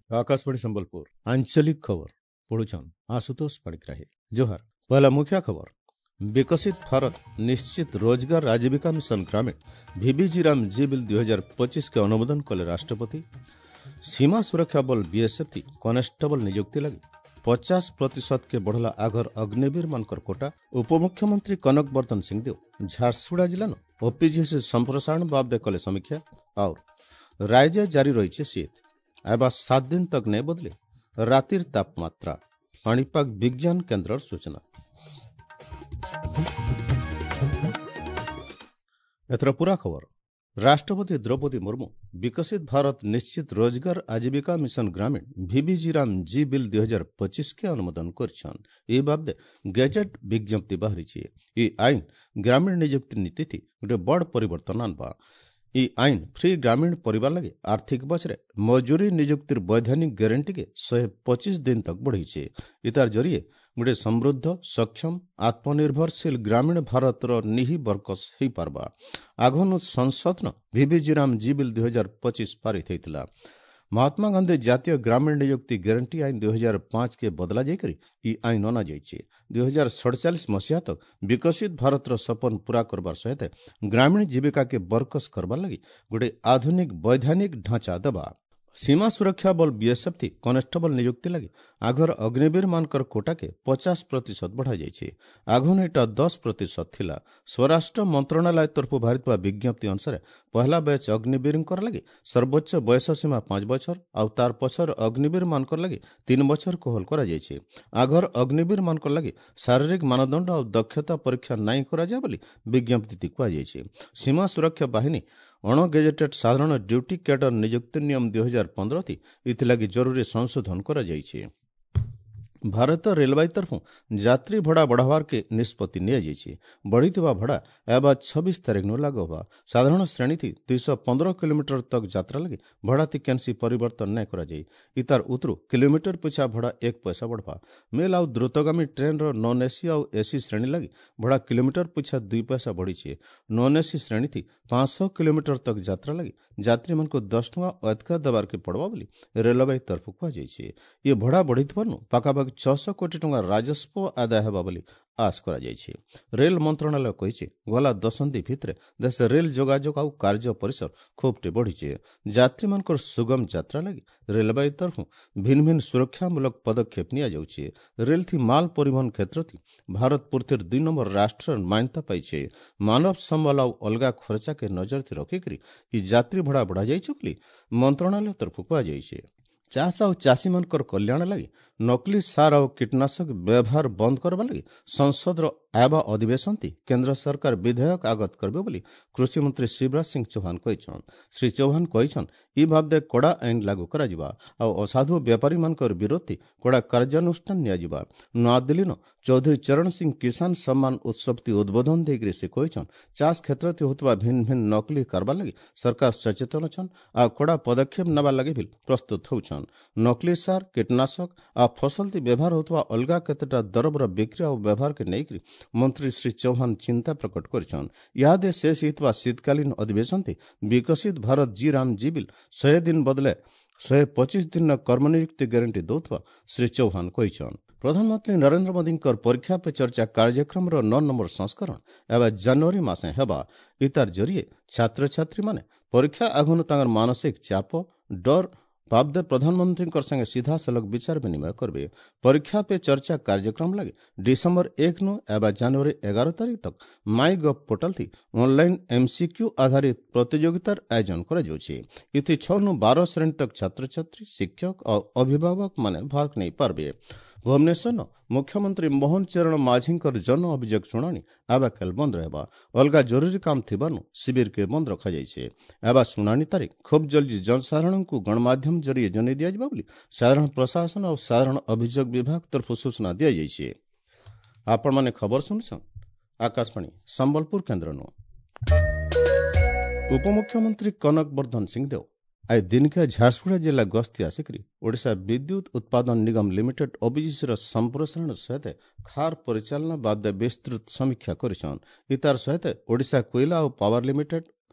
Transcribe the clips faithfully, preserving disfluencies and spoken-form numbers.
आकाशवाणी संबलपुर आंचलिक खबर पढ़ुछन आशुतोष पाणिग्राही। जोहार। पहला मुख्य खबर, विकसित भारत निश्चित रोजगार आजीविका मिशन ग्रामीण भिबिजी राम जी बिल दुई हजार पचिस के अनुमोदन कले राष्ट्रपति। सीमा सुरक्षा बल बीएसएफ थी कनेस्टेबल नियुक्ति लगी पचास प्रतिशत के बढ़ला आघर अग्निवीर मानकर कोटा। उपमुख्यमंत्री कनक वर्धन सिंहदेव झारसुगुड़ा जिला ओपीजीसी संप्रसारण बाबदे कले समीक्षा। और राज्य जारी रही शीत, एबा सात दिन तक नहीं बदले रातिर तापमात्रा, पाणीपाग विज्ञान केंद्र सूचना। एथर पूरा खबर। राष्ट्रपति द्रौपदी मुर्मू विकसित भारत निश्चित रोजगार आजीविका मिशन ग्रामीण भिबिजी राम जी बिल दुई हजार पचिस के अनुमोदन କରିଛନ୍। ଏ ବାବଦେ ଗେଜେଟ୍ ବିଜ୍ଞପ୍ତି ବାହାରିଛି। ଏ ଆଇନ ଗ୍ରାମୀଣ ନିଯୁକ୍ତି ନୀତି ଥି ଗୋଟେ ବଡ଼ ପରିବର୍ତ୍ତନ ଆନବା। ଇ ଆଇନ ଫ୍ରି ଗ୍ରାମୀଣ ପରିବାର ଲାଗି ଆର୍ଥିକ ବଛରେ ମଜୁରୀ ନିଯୁକ୍ତିର ବୈଧାନିକ ଗ୍ୟାରେଣ୍ଟିକେ ଶହେ ପଚିଶ ଦିନ ତକ ବଢ଼େଇছে। ଇତାର ଜରିଏ ଗୋଟେ ସମୃଦ୍ଧ, ସକ୍ଷମ, ଆତ୍ମନିର୍ଭରଶୀଳ ଗ୍ରାମୀଣ ଭାରତର ନିହି ବରକସ ହେଇପାରବା। ଆଗନୁ ସଂସଦନ ଭିବିଜି ରାମ ଜି ବିଲ୍ ଦୁଇ ହଜାର ପଚିଶ ପାରିତ ହେଇଥିଲା। ମହାତ୍ମା ଗାନ୍ଧୀ ଜାତୀୟ ଗ୍ରାମୀଣ ନିଯୁକ୍ତି ଗ୍ୟାରେଣ୍ଟି ଆଇନ ଦୁଇ ହଜାର ପାଞ୍ଚ କେ ବଦଲା ଯାଇକରି ଇ ଆଇନ ଅଣାଯାଇଛି। ଦୁଇ ହଜାର ସଡ଼ଚାଳିଶ ମସିହା ତକ ବିକଶିତ ଭାରତର ସପନ ପୂରା କରବାର ସହିତ ଗ୍ରାମୀଣ ଜୀବିକାକେ ବରକସ କରବାର ଲାଗି ଗୋଟେ ଆଧୁନିକ ବୈଧାନିକ ଢାଞ୍ଚା ଦେବା। ସୀମା ସୁରକ୍ଷା ବଲ ବିଏସ୍ଏଫ୍ ଥି କନେଷ୍ଟବଲ ନିଯୁକ୍ତି ଲାଗି ଆଘର ଅଗ୍ନିବୀର ମାନଙ୍କର କୋଟାକେ ପଚାଶ ପ୍ରତିଶତ ବଢ଼ାଯାଇଛି। ଆଘନ ଏଟା ଦଶ ପ୍ରତିଶତ ଥିଲା। ସ୍ୱରାଷ୍ଟ୍ର ମନ୍ତ୍ରଣାଳୟ ତରଫରୁ ବାହାରିଥିବା ବିଜ୍ଞପ୍ତି ଅନୁସାରେ ପହଲା ବ୍ୟାଚ୍ ଅଗ୍ନିବୀରଙ୍କର ଲାଗି ସର୍ବୋଚ୍ଚ ବୟସ ସୀମା ପାଞ୍ଚ ବଛର ଆଉ ତାର ପଛର ଅଗ୍ନିବୀର ମାନଙ୍କର ଲାଗି ତିନି ବଛର କୋହଲ କରାଯାଇଛି। ଆଘର ଅଗ୍ନିବୀର ମାନଙ୍କର ଲାଗି ଶାରୀରିକ ମାନଦଣ୍ଡ ଆଉ ଦକ୍ଷତା ପରୀକ୍ଷା ନାଇଁ କରାଯାଏ ବୋଲି ବିଜ୍ଞପ୍ତି କୁହାଯାଇଛି। ସୀମା ସୁରକ୍ଷା ବାହିନୀ ଅଣଗେଜେଟେଡ୍ ସାଧାରଣ ଡ୍ୟୁଟି କ୍ୟାଡର ନିଯୁକ୍ତି ନିୟମ ଦୁଇ ହଜାର ପନ୍ଦର ଏଥିଲାଗି ଜରୁରୀ ସଂଶୋଧନ କରାଯାଇଛି। ଭାରତ ରେଲବାଇ ତରଫୁ ଯାତ୍ରୀ ଭଡ଼ା ବଢ଼ାବାର କେ ନିଷ୍ପତ୍ତି ନିଆଯାଇଛି। ବଢ଼ିଥିବା ଭଡ଼ା ଏବା ଛବିଶ ତାରିଖ ନୁ ଲାଗୁ ହେବା। ସାଧାରଣ ଶ୍ରେଣୀ ଥି ଦୁଇଶହ ପନ୍ଦର କିଲୋମିଟର ତକ ଯାତ୍ରା ଲାଗି ଭଡ଼ା ଥି କେନ୍ସି ପରିବର୍ତ୍ତନ ନାଇଁ କରାଯାଇ। ଇତାର ଉତରୁ କିଲୋମିଟର ପିଛା ଭଡ଼ା ଏକ ପଇସା ବଢ଼ବା। ମେଲ୍ ଆଉ ଦ୍ରୁତଗାମୀ ଟ୍ରେନ୍ର ନନ୍ ଏସି ଆଉ ଏସି ଶ୍ରେଣୀ ଲାଗି ଭଡ଼ା କିଲୋମିଟର ପିଛା ଦୁଇ ପଇସା ବଢ଼ିଛି। ନନ୍ ଏସି ଶ୍ରେଣୀ ଥି ପାଞ୍ଚଶହ କିଲୋମିଟର ତକ ଯାତ୍ରା ଲାଗି ଯାତ୍ରୀମାନଙ୍କୁ ଦଶ ଟଙ୍କା ଅଧିକା ଦେବାର୍କେ ପଡ଼ବା ବୋଲି ରେଲବାଇ ତରଫରୁ କୁହାଯାଇଛି। ଏ ଭଡ଼ା ବଢ଼ିଥିବାରୁ ପାଖାପାଖି ଛଅଶହ କୋଟି ଟଙ୍କା ରାଜସ୍ୱ ଆଦାୟ ହେବା ବୋଲି ଆଶ କରାଯାଇଛି। ରେଲ ମନ୍ତ୍ରଣାଳୟ କହିଛି, ଗଲା ଦଶନ୍ଧି ଭିତରେ ଦେଶ ରେଲ ଯୋଗାଯୋଗ ଆଉ କାର୍ଯ୍ୟ ପରିସର ଖୁବଟି ବଢ଼ିଛି। ଯାତ୍ରୀମାନଙ୍କର ସୁଗମ ଯାତ୍ରା ଲାଗି ରେଲବାଇ ତରଫରୁ ଭିନ୍ନ ଭିନ୍ନ ସୁରକ୍ଷାମୂଳକ ପଦକ୍ଷେପ ନିଆଯାଉଛି। ରେଲ ଥି ମାଲ ପରିବହନ କ୍ଷେତ୍ର ଭାରତ ପୃଥିବୀର ଦୁଇ ନମ୍ବର ରାଷ୍ଟ୍ରର ମାନ୍ୟତା ପାଇছে। ମାନବ ସମ୍ବଳ ଆଉ ଅଲଗା ଖର୍ଚ୍ଚାକେ ନଜର ଥି ରଖିକରି ଇ ଯାତ୍ରୀ ଭଡ଼ା ବଢ଼ାଯାଇଛି ବୋଲି ମନ୍ତ୍ରଣାଳୟ ତରଫରୁ କୁହାଯାଇଛି। ଚାଷ ଆଉ ଚାଷୀମାନଙ୍କର କଲ୍ୟାଣ ଲାଗି ନକଲି ସାର ଆଉ କୀଟନାଶକ ବ୍ୟବହାର ବନ୍ଦ କରିବା ଲାଗି ସଂସଦର ଆଇବା ଅଧିବେଶନ କେନ୍ଦ୍ର ସରକାର ବିଧେୟକ ଆଗତ କରିବେ ବୋଲି କୃଷିମନ୍ତ୍ରୀ ଶିବରାଜ ସିଂ ଚୌହାନ କହିଛନ୍ତି। ଶ୍ରୀ ଚୌହାନ କହିଛନ୍ତି, ଇ ବାବଦେ କଡ଼ା ଆଇନ ଲାଗୁ କରାଯିବା ଆଉ ଅସାଧୁ ବେପାରୀମାନଙ୍କର ବିରୋଧୀ କଡ଼ା କାର୍ଯ୍ୟାନୁଷ୍ଠାନ ନିଆଯିବା। ନୂଆଦିଲ୍ଲୀନ ଚୌଧୁରୀ ଚରଣ ସିଂ କିଷାନ ସମ୍ମାନ ଉତ୍ସବଟି ଉଦ୍ବୋଧନ ଦେଇକରି ସେ କହିଛନ୍ତି, ଚାଷ କ୍ଷେତ୍ରରେ ହେଉଥିବା ଭିନ୍ନ ଭିନ୍ନ ନକଲି କାରବାର ଲାଗି ସରକାର ସଚେତନ ଅଛନ୍ ଆଉ କଡ଼ା ପଦକ୍ଷେପ ନେବାର ଲାଗି ବି ପ୍ରସ୍ତୁତ ହେଉଛନ୍। ନକଲି ସାର, କୀଟନାଶକ ଆଉ ଫସଲଟି ବ୍ୟବହାର ହେଉଥିବା ଅଲଗା କେତେଟା ଦ୍ରବ୍ୟର ବିକ୍ରି ଆଉ ବ୍ୟବହାରକେ ନେଇକରି ମନ୍ତ୍ରୀ ଶ୍ରୀ ଚୌହାନ ଚିନ୍ତା ପ୍ରକଟ କରିଛନ୍। ଇହାଦେ ଶେଷ ହେଇଥିବା ଶୀତକାଳୀନ ଅଧିବେଶନ ବିକଶିତ Bharat G Ram G bill ଶହେ ଦିନ ବଦଲେ ଶହେ ପଚିଶ ଦିନର କର୍ମନିଯୁକ୍ତି ଗ୍ୟାରେଣ୍ଟି ଦେଉଥିବା ଶ୍ରୀ ଚୌହାନ କହିଛନ୍। ପ୍ରଧାନମନ୍ତ୍ରୀ ନରେନ୍ଦ୍ର ମୋଦୀଙ୍କର ପରୀକ୍ଷା ପେ ଚର୍ଚ୍ଚା କାର୍ଯ୍ୟକ୍ରମର ନଅ ନମ୍ବର ସଂସ୍କରଣ ଏବେ ଜାନୁଆରୀ ମାସେ ହେବା। ଇତାର ଜରିଏ ଛାତ୍ରଛାତ୍ରୀମାନେ ପରୀକ୍ଷା ଆଗନୁ ତାଙ୍କର ମାନସିକ ଚାପ, ଡର ବାବଦେ ପ୍ରଧାନମନ୍ତ୍ରୀଙ୍କ ସାଙ୍ଗେ ସିଧାସଳଖ ବିଚାର ବିନିମୟ କରିବେ। ପରୀକ୍ଷା ପେ ଚର୍ଚ୍ଚା କାର୍ଯ୍ୟକ୍ରମ ଲାଗି ଡିସେମ୍ବର ଏକ ନୁ ଏବା ଜାନୁଆରୀ ଏଗାର ତାରିଖ ତକ ମାଇ ଗଭ୍ ପୋର୍ଟାଲ ଥି ଅନଲାଇନ୍ ଏମ୍ସିକ୍ୟୁ ଆଧାରିତ ପ୍ରତିଯୋଗିତାର ଆୟୋଜନ କରାଯାଉଛି। ଏଥି ଛଅ ନୁ ବାର ଶ୍ରେଣୀ ତକ ଛାତ୍ରଛାତ୍ରୀ, ଶିକ୍ଷକ ଆଉ ଅଭିଭାବକମାନେ ଭାଗ ନେଇପାରିବେ। ଭୁବନେଶ୍ୱର ମୁଖ୍ୟମନ୍ତ୍ରୀ ମୋହନ ଚରଣ ମାଝୀଙ୍କର ଜନ ଅଭିଯୋଗ ଶୁଣାଣି ଆବାକାଲ ବନ୍ଦ ରହିବା। ଅଲଗା ଜରୁରୀ କାମ ଥିବାରୁ ଶିବିରକେ ବନ୍ଦ ରଖାଯାଇଛି। ଏବା ଶୁଣାଣି ତାରିଖ ଖୁବ୍ ଜଲ୍ଦି ଜନସାଧାରଣଙ୍କୁ ଗଣମାଧ୍ୟମ ଜରିଏ ଜଣାଇ ଦିଆଯିବ ବୋଲି ସାଧାରଣ ପ୍ରଶାସନ ଆଉ ସାଧାରଣ ଅଭିଯୋଗ ବିଭାଗ ତରଫରୁ ସୂଚନା ଦିଆଯାଇଛି। ଆପଣମାନେ ଖବର ଶୁଣୁଛନ୍ ଆକାଶବାଣୀ ସମ୍ବଲପୁର କେନ୍ଦ୍ରନୁ। ଉପମୁଖ୍ୟମନ୍ତ୍ରୀ କନକ ବର୍ଦ୍ଧନ ସିଂଦେଓ ଆଜି ଦିନିକିଆ ଝାରସୁଗୁଡ଼ା ଜିଲ୍ଲା ଗସ୍ତି ଆସିକରି ଓଡ଼ିଶା ବିଦ୍ୟୁତ ଉତ୍ପାଦନ ନିଗମ ଲିମିଟେଡ୍ ଓବିଜିସିର ସମ୍ପ୍ରସାରଣ ସହିତ ଖାର ପରିଚାଳନା ବାବଦେ ବିସ୍ତୃତ ସମୀକ୍ଷା କରିଛନ୍। ଇତାର ସହିତ ଓଡ଼ିଶା କୋଇଲା ଆଉ ପାୱାର ଲିମିଟେଡ୍,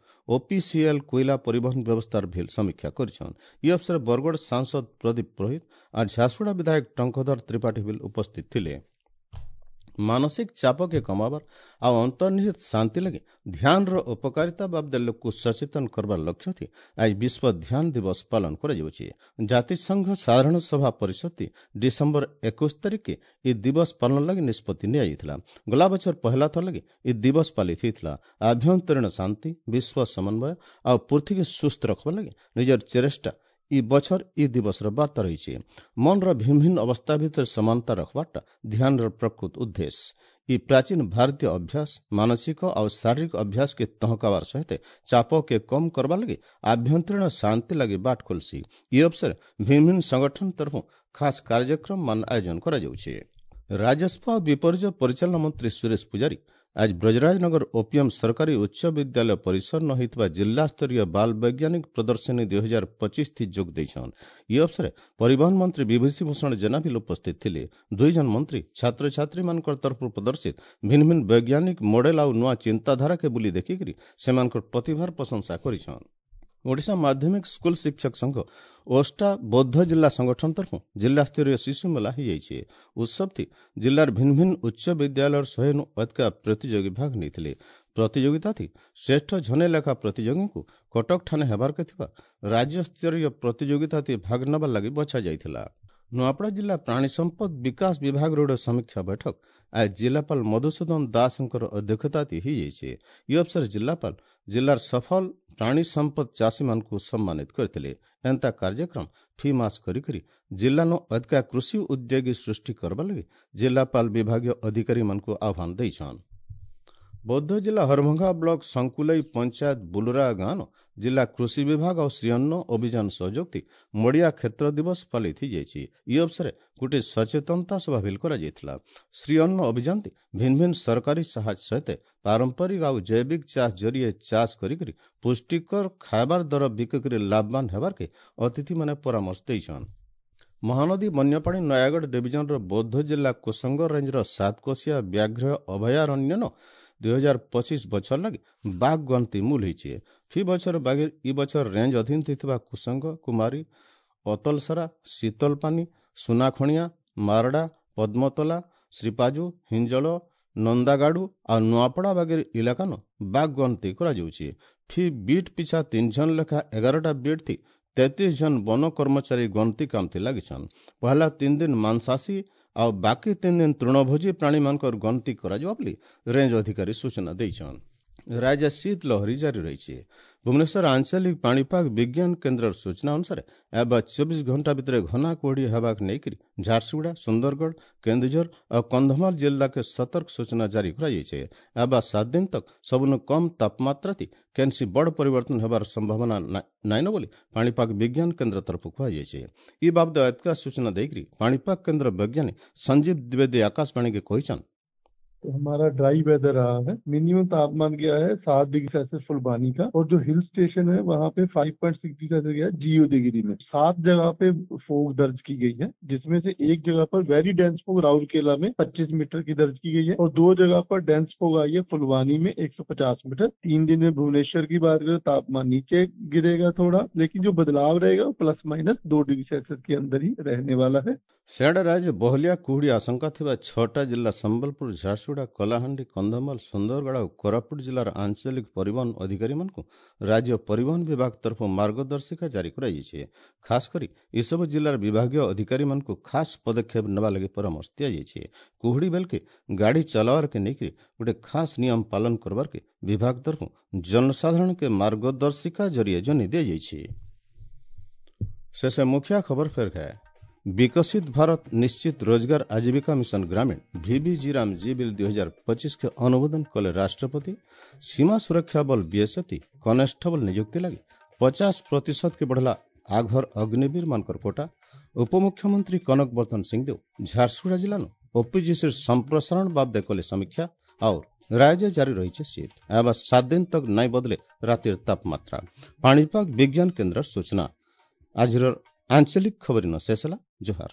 ଓପିସିଏଲ୍ କୋଇଲା ପରିବହନ ବ୍ୟବସ୍ଥାର ଭିଲ୍ ସମୀକ୍ଷା କରିଛନ୍। ଇ ଅବସରରେ ବରଗଡ଼ ସାଂସଦ ପ୍ରଦୀପ ପୁରୋହିତ ଆଉ ଝାରସୁଗୁଡ଼ା ବିଧାୟକ ଟଙ୍କଧର ତ୍ରିପାଠୀ ବିଲ୍ ଉପସ୍ଥିତ ଥିଲେ। ମାନସିକ ଚାପକେ କମାବାର ଆଉ ଅନ୍ତର୍ନିହିତ ଶାନ୍ତି ଲାଗି ଧ୍ୟାନର ଉପକାରିତା ବାବଦେ ଲୋକକୁ ସଚେତନ କରବାର ଲକ୍ଷ୍ୟ ଥି ଆଜି ବିଶ୍ୱ ଧ୍ୟାନ ଦିବସ ପାଳନ କରାଯାଉଛି। ଜାତିସଂଘ ସାଧାରଣ ସଭା ପରିଷଦ ଡିସେମ୍ବର ଏକୋଇଶ ତାରିଖ ଏ ଦିବସ ପାଳନ ଲାଗି ନିଷ୍ପତ୍ତି ନିଆଯାଇଥିଲା। ଗଲା ବଛର ପହିଲା ଥର ଲାଗି ଏ ଦିବସ ପାଳିତ ହୋଇଥିଲା। ଆଭ୍ୟନ୍ତରୀଣ ଶାନ୍ତି, ବିଶ୍ୱ ସମନ୍ୱୟ ଆଉ ପୃଥିବୀ ସୁସ୍ଥ ରଖବା ଲାଗି ନିଜର ଚେଷ୍ଟା ଇ ବଛର ଇ ଦିବସର ବାର୍ତ୍ତା ରହିଛି। ମନର ଭିନ୍ନ ଭିନ୍ନ ଅବସ୍ଥା ଭିତରେ ସମାନତା ରଖବାରଟା ଧ୍ୟାନର ପ୍ରକୃତ ଉଦ୍ଦେଶ୍ୟ। ଇ ପ୍ରାଚୀନ ଭାରତୀୟ ଅଭ୍ୟାସ ମାନସିକ ଆଉ ଶାରୀରିକ ଅଭ୍ୟାସକେ ତହକାବାର ସହିତ ଚାପକେ କମ୍ କରବା ଲାଗି ଆଭ୍ୟନ୍ତରୀଣ ଶାନ୍ତି ଲାଗି ବାଟ ଖୋଲସି। ଇ ଅବସରେ ଭିନ୍ନ ଭିନ୍ନ ସଂଗଠନ ତରଫରୁ ଖାସ୍ କାର୍ଯ୍ୟକ୍ରମ ମାନ ଆୟୋଜନ କରାଯାଉଛି। ରାଜସ୍ୱ ଆଉ ବିପର୍ଯ୍ୟୟ ପରିଚାଳନା ମନ୍ତ୍ରୀ ସୁରେଶ ପୂଜାରୀ ଆଜି ବ୍ରଜରାଜନଗର ଓପିଏମ୍ ସରକାରୀ ଉଚ୍ଚ ବିଦ୍ୟାଳୟ ପରିସର ନ ହୋଇଥିବା ଜିଲ୍ଲାସ୍ତରୀୟ ବାଲ ବୈଜ୍ଞାନିକ ପ୍ରଦର୍ଶନୀ ଦୁଇ ହଜାର ପଚିଶ ଥି ଯୋଗ ଦେଇଛନ୍। ଇ ଅବସରେ ପରିବହନ ମନ୍ତ୍ରୀ ବିଭୂତି ଭୂଷଣ ଜେନା ବି ଉପସ୍ଥିତ ଥିଲେ। ଦୁଇ ଜଣ ମନ୍ତ୍ରୀ ଛାତ୍ରଛାତ୍ରୀମାନଙ୍କର ତରଫରୁ ପ୍ରଦର୍ଶିତ ଭିନ୍ନ ଭିନ୍ନ ବୈଜ୍ଞାନିକ ମଡେଲ ଆଉ ନୂଆ ଚିନ୍ତାଧାରାକେ ବୁଲି ଦେଖିକରି ସେମାନଙ୍କର ପ୍ରତିଭାର ପ୍ରଶଂସା କରିଛନ୍। ଓଡ଼ିଶା ମାଧ୍ୟମିକ ସ୍କୁଲ ଶିକ୍ଷକ ସଂଘ ଓଷ୍ଟା ବୌଦ୍ଧ ଜିଲ୍ଲା ସଂଗଠନ ତରଫରୁ ଜିଲ୍ଲାସ୍ତରୀୟ ଶିଶୁ ମେଳା ହୋଇଯାଇଛି। ଉତ୍ସବଟି ଜିଲ୍ଲାର ଭିନ୍ନ ଭିନ୍ନ ଉଚ୍ଚ ବିଦ୍ୟାଳୟର ଶହେନୁ ଅଧିକା ପ୍ରତିଯୋଗୀ ଭାଗ ନେଇଥିଲେ। ପ୍ରତିଯୋଗିତାଥି ଶ୍ରେଷ୍ଠ ଝନେ ଲେଖା ପ୍ରତିଯୋଗୀଙ୍କୁ କଟକଠାନେ ହେବାରକେ ଥିବା ରାଜ୍ୟସ୍ତରୀୟ ପ୍ରତିଯୋଗିତାଥି ଭାଗ ନେବାର ଲାଗି ବଛା ଯାଇଥିଲା। ନୂଆପଡ଼ା ଜିଲ୍ଲା ପ୍ରାଣୀ ସମ୍ପଦ ବିକାଶ ବିଭାଗର ଗୋଟେ ସମୀକ୍ଷା ବୈଠକ ଆଜି ଜିଲ୍ଲାପାଳ ମଧୁସୂଦନ ଦାସଙ୍କର ଅଧ୍ୟକ୍ଷତାତି ହୋଇଯାଇଛି। ଇ ଅବସରରେ ଜିଲ୍ଲାପାଳ ଜିଲ୍ଲାର ସଫଳ ପ୍ରାଣୀ ସମ୍ପଦ ଚାଷୀମାନଙ୍କୁ ସମ୍ମାନିତ କରିଥିଲେ। ଏନ୍ତା କାର୍ଯ୍ୟକ୍ରମ ଫି ମାସ କରିକରି ଜିଲ୍ଲାନୁ ଅଧିକା କୃଷି ଉଦ୍ୟୋଗୀ ସୃଷ୍ଟି କରବା ଲାଗି ଜିଲ୍ଲାପାଳ ବିଭାଗୀୟ ଅଧିକାରୀମାନଙ୍କୁ ଆହ୍ୱାନ ଦେଇଛନ୍। ବୌଦ୍ଧ ଜିଲ୍ଲା ହରଭଙ୍ଗା ବ୍ଲକ ସଂକୁଲେଇ ପଞ୍ଚାୟତ ବୁଲୁରା ଗାଁନ ଜିଲ୍ଲା କୃଷି ବିଭାଗ ଆଉ ଶ୍ରୀଅନ୍ନ ଅଭିଯାନ ସହଯୋଗଥି ମଡ଼ିଆ କ୍ଷେତ୍ର ଦିବସ ପାଳିତ ହୋଇଯାଇଛି। ଇ ଅବସରେ ଗୋଟିଏ ସଚେତନତା ସଭା ଭିଲ କରାଯାଇଥିଲା। ଶ୍ରୀଅନ୍ନ ଅଭିଯାନଟି ଭିନ୍ନ ଭିନ୍ନ ସରକାରୀ ସାହାଯ୍ୟ ସହିତ ପାରମ୍ପରିକ ଆଉ ଜୈବିକ ଚାଷ ଜରିଏ ଚାଷ କରିକରି ପୁଷ୍ଟିକର ଖାଇବାର ଦର ବିକିକରି ଲାଭବାନ ହେବାରକେ ଅତିଥିମାନେ ପରାମର୍ଶ ଦେଇଛନ୍। ମହାନଦୀ ବନ୍ୟାପାଣି ନୟାଗଡ଼ ଡିଭିଜନର ବୌଦ୍ଧ ଜିଲ୍ଲା କୁସଙ୍ଗ ରେଞ୍ଜର ସାତକୋଶିଆ ବ୍ୟାଘ୍ର ଅଭୟାରଣ୍ୟନ ଦୁଇ ହଜାର ପଚିଶ ବଛର ଲାଗି ବାଘ ଗଣତି ମୂଲ ହେଇଛି। ଫି ବଛର ବାଗିର ଇ ବଛର ରେଞ୍ଜ ଅଧୀନ ଥିବା କୁସଙ୍ଗ, କୁମାରୀ, ଅତଲସରା, ଶୀତଲପାନି, ସୁନାଖଣିଆ, ମାରଡ଼ା, ପଦ୍ମତଲା, ଶ୍ରୀପାଜୁ, ହିଞ୍ଜଳ, ନନ୍ଦାଗାଡୁ ଆଉ ନୂଆପଡ଼ା ବାଗିର ଇଲାକାନ ବାଘ ଗଣତି କରାଯାଉଛି। ଫି ବିଟ୍ ପିଛା ତିନି ଜଣ ଲେଖା ଏଗାରଟା ବିଟ୍ ଥି ତେତିଶ ଜଣ ବନ କର୍ମଚାରୀ ଗଣତି କାମଥି ଲାଗିଛନ୍। ପହଲା ତିନି ଦିନ ମାଂସାଶୀ ଆଉ ବାକି ତିନି ଦିନ ତୃଣଭୋଜୀ ପ୍ରାଣୀମାନଙ୍କର ଗଣତି କରାଯିବ ବୋଲି ରେଞ୍ଜ ଅଧିକାରୀ ସୂଚନା ଦେଇଛନ୍। ରାଜ୍ୟ ଶୀତ ଲହରୀ ଜାରି ରହିଛି। ଭୁବନେଶ୍ୱର ଆଞ୍ଚଳିକ ପାଣିପାଗ ବିଜ୍ଞାନ କେନ୍ଦ୍ରର ସୂଚନା ଅନୁସାରେ ଏବେ ଚବିଶ ଘଣ୍ଟା ଭିତରେ ଘନା କୁହୁଡ଼ି ହେବାକୁ ନେଇକରି ଝାରସୁଗୁଡ଼ା, ସୁନ୍ଦରଗଡ଼, କେନ୍ଦୁଝର ଆଉ କନ୍ଧମାଳ ଜିଲ୍ଲାକେ ସତର୍କ ସୂଚନା ଜାରି କରାଯାଇଛି। ଏବେ ସାତ ଦିନ ତକ ସବୁନୁ କମ୍ ତାପମାତ୍ରାତି କେନ୍ସି ବଡ଼ ପରିବର୍ତ୍ତନ ହେବାର ସମ୍ଭାବନା ନାଇଁନ ବୋଲି ପାଣିପାଗ ବିଜ୍ଞାନ କେନ୍ଦ୍ର ତରଫରୁ କୁହାଯାଇଛି। ଇ ବାବଦ ଏତକା ସୂଚନା ଦେଇକରି ପାଣିପାଗ କେନ୍ଦ୍ର ବୈଜ୍ଞାନିକ ସଞ୍ଜୀବ ଦ୍ୱିବେଦୀ ଆକାଶବାଣୀକେ କହିଛନ୍। तो हमारा ड्राई वेदर रहा है। मिनिमम तापमान गया है सात डिग्री सेल्सियस फुलबानी का, और जो हिल स्टेशन है वहाँ पे five point six degree Celsius गया है जीरो डिग्री में। सात जगह पे फोग दर्ज की गई है, जिसमें से एक जगह पर वेरी डेंस फोग राउरकेला में पच्चीस मीटर की दर्ज की गई है और दो जगह पर डेंस फोग आई है फुलवानी में एक सौ पचास मीटर। तीन दिन में भुवनेश्वर की बात करें तापमान नीचे गिरेगा थोड़ा, लेकिन जो बदलाव रहेगा वो प्लस माइनस दो डिग्री सेल्सियस के अंदर ही रहने वाला है। ସିଆଡ଼େ ରାଜ୍ୟ ବହଲିଆ କୁହୁଡ଼ି ଆଶଙ୍କା ଥିବା ଛଅଟା ଜିଲ୍ଲା ସମ୍ବଲପୁର, ଝାରସୁଗୁଡ଼ା, କଳାହାଣ୍ଡି, କନ୍ଧମାଳ, ସୁନ୍ଦରଗଡ଼ ଆଉ କୋରାପୁଟ ଜିଲ୍ଲାର ଆଞ୍ଚଳିକ ପରିବହନ ଅଧିକାରୀମାନଙ୍କୁ ରାଜ୍ୟ ପରିବହନ ବିଭାଗ ତରଫରୁ ମାର୍ଗଦର୍ଶିକା ଜାରି କରାଯାଇଛି। ଖାସ୍ କରି ଏସବୁ ଜିଲ୍ଲାର ବିଭାଗୀୟ ଅଧିକାରୀମାନଙ୍କୁ ଖାସ୍ ପଦକ୍ଷେପ ନେବା ଲାଗି ପରାମର୍ଶ ଦିଆଯାଇଛି। କୁହୁଡ଼ି ବେଲକେ ଗାଡ଼ି ଚଲାବାରକେ ନେଇକରି ଗୋଟେ ଖାସ୍ ନିୟମ ପାଳନ କରବାରକେ ବିଭାଗ ତରଫରୁ ଜନସାଧାରଣକେ ମାର୍ଗଦର୍ଶିକା ଜରିଏ ଜଣାଇ ଦିଆଯାଇଛି। ଶେଷ ମୁଖିଆ ଖବର ଫେର ଖାଏ। विकसित भारत निश्चित रोजगार आजीविका मिशन ग्रामीण वीबीजी राम जी बिल दुई हजार पच्चीस के अनुमोदन कले राष्ट्रपति। सीमा सुरक्षा बल बीएसएफ कनेस्टेबल नियुक्ति लगी पचास प्रतिशत के बढ़ला आघर अग्निवीर मानकर कोटा। उपमुख्यमंत्री कनक वर्धन सिंहदेव झारसुगुड़ा जिला ओपीजीसी संप्रसारण बाबदे कले समीक्षा। और राज्य जारी रही शीत, अब सात दिन तक नहीं बदले रातिर तापमात्रा। पाणीपाग विज्ञान केंद्र सूचना। आज आंचलिक खबर न शेष। जोहार।